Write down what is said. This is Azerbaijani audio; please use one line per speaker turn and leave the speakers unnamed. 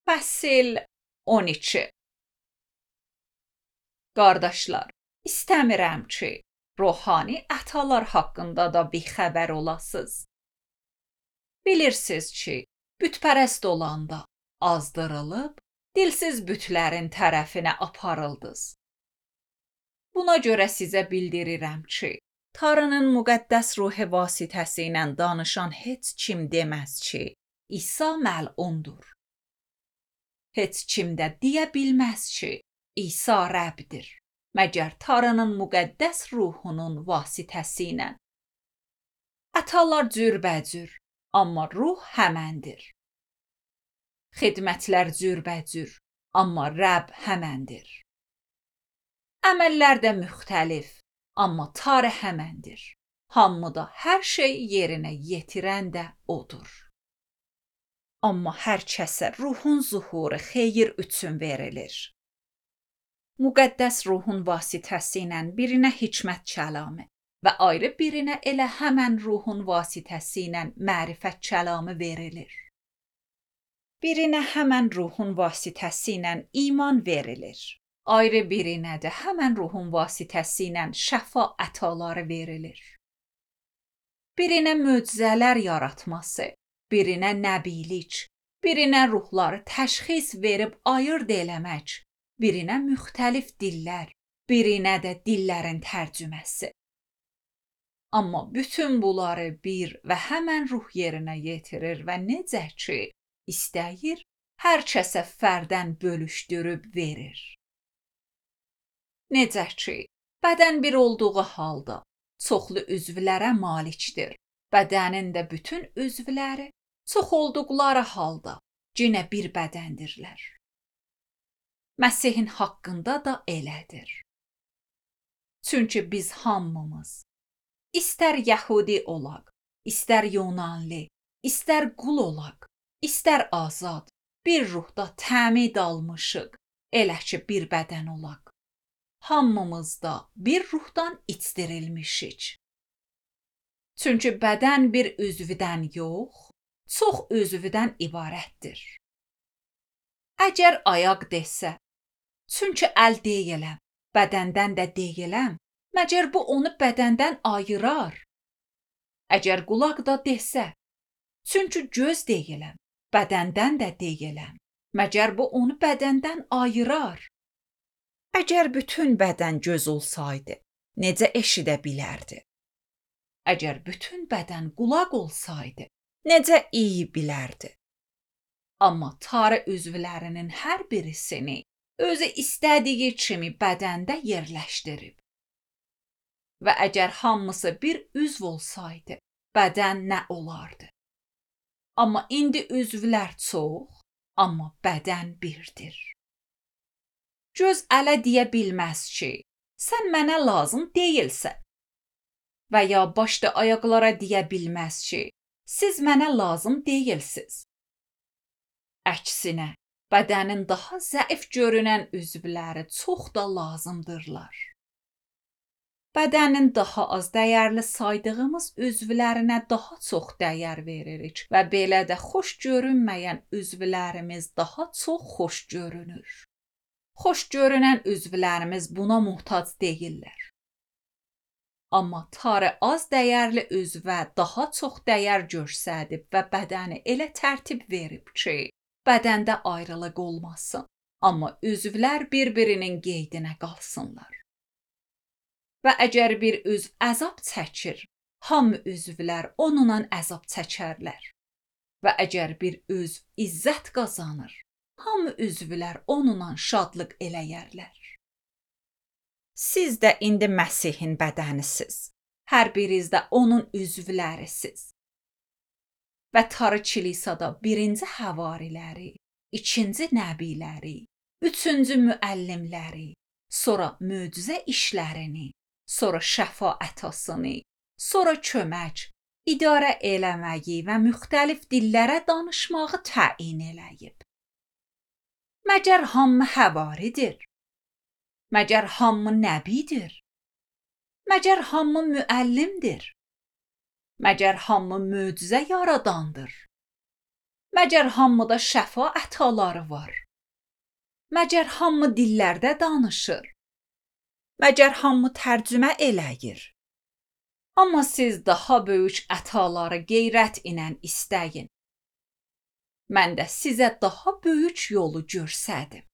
Fəsil 12. Qardaşlar, istəmirəm ki, ruhani ətalar haqqında da bixəbər olasınız. Bilirsiniz ki, bütpərəst olanda azdırılıb, dilsiz bütlərin tərəfinə aparıldınız. Buna görə sizə bildirirəm ki, Tanrının müqəddəs ruhu vasitəsilə danışan heç kim deməz ki, İsa məlundur. Heç kim də deyə bilməz ki, İsa Rəbdir, məgər Tanrının müqəddəs ruhunun vasitəsilə. Ətalar cürbəcür, amma ruh həməndir. Xidmətlər cürbəcür, amma Rəbb həməndir. Əməllər də müxtəlif, amma Tanrı həməndir. Hamıda hər şey yerinə yetirən də odur. Amma hər kəsə ruhun zuhuru xeyir üçün verilir. Müqəddəs ruhun vasitəsilə birinə hikmət kəlamı və ayrı birinə elə həmən ruhun vasitəsilə mərifət kəlamı verilir. Birinə həmən ruhun vasitəsilə iman verilir. Ayrı birinə də həmən ruhun vasitəsilə şəfa ətaları verilir. Birinə möcüzələr yaratması, birinə nəbilik, birinə ruhları təşxis verib ayırd eləmək, birinə müxtəlif dillər, birinə də dillərin tərcüməsi. Amma bütün bunları bir və həmən ruh yerinə yetirir və necə ki, istəyir, hər kəsə fərdən bölüşdürüb verir. Necə ki, bədən bir olduğu halda çoxlu üzvlərə malikdir. Bədənin də bütün üzvləri çox olduqları halda yenə bir bədəndirlər. Məsihin haqqında da elədir. Çünki biz hamımız, istər Yəhudi olaq, istər Yunanlı, istər qul olaq, istər azad, bir ruhda təmid almışıq, elə ki bir bədən olaq. Hamımız da bir ruhdan içdirilmişik. Çünki bədən bir üzvdən yox, çox üzvdən ibarətdir. Əgər ayaq desə, çünki əl deyiləm, bədəndən də deyiləm, məgər bu onu bədəndən ayırar? Əgər qulaq da desə, çünki göz deyiləm, bədəndən də deyiləm, məgər bu onu bədəndən ayırar? Əgər bütün bədən göz olsaydı, necə eşidə bilərdi? Əgər bütün bədən qulaq olsaydı, necə iyi bilərdi? Amma Tanrı üzvlərinin hər birisini özü istədiyi kimi bədəndə yerləşdirib. Və əgər hamısı bir üzv olsaydı, bədən nə olardı? Amma indi üzvlər çox, amma bədən birdir. Göz ələ deyə bilməz ki, sən mənə lazım deyilsən. Və ya baş da ayaqlara deyə bilməz ki, siz mənə lazım deyilsiz. Əksinə, bədənin daha zəif görünən üzvləri çox da lazımdırlar. Bədənin daha az dəyərli saydığımız üzvlərinə daha çox dəyər veririk və belə də xoş görünməyən üzvlərimiz daha çox xoş görünür. Xoş görünən üzvlərimiz buna muhtac deyillər. Amma Tanrı az dəyərli üzvə daha çox dəyər göstərib və bədəni elə tərtib verib ki, bədəndə ayrılıq olmasın, amma üzvlər bir-birinin qeydinə qalsınlar. Və əgər bir üzv əzab çəkir, hamı üzvlər onunla əzab çəkərlər. Və əgər bir üzv izzət qazanır, hamı üzvlər onunla şadlıq eləyərlər. Siz də indi Məsihin bədənisiz. Hər biriniz də onun üzvlərisiz. Və Tanrı kilisada birinci həvariləri, ikinci nəbiləri, üçüncü müəllimləri, sonra möcüzə işlərini, sonra şəfa ətasını, sonra kömək, idarə eləməyi və müxtəlif dillərə danışmağı təyin eləyib. Məgər hamı həvaridir? Məgər hamı nəbidir? Məgər hamı müəllimdir? Məgər hamı möcüzə yaradandır? Məgər hamıda şəfa ətaları var? Məgər hamı dillərdə danışır? Məgər hamı tərcümə eləyir? Amma siz daha böyük ətaları qeyrət ilə istəyin. Mən də sizə daha böyük yolu göstərdim.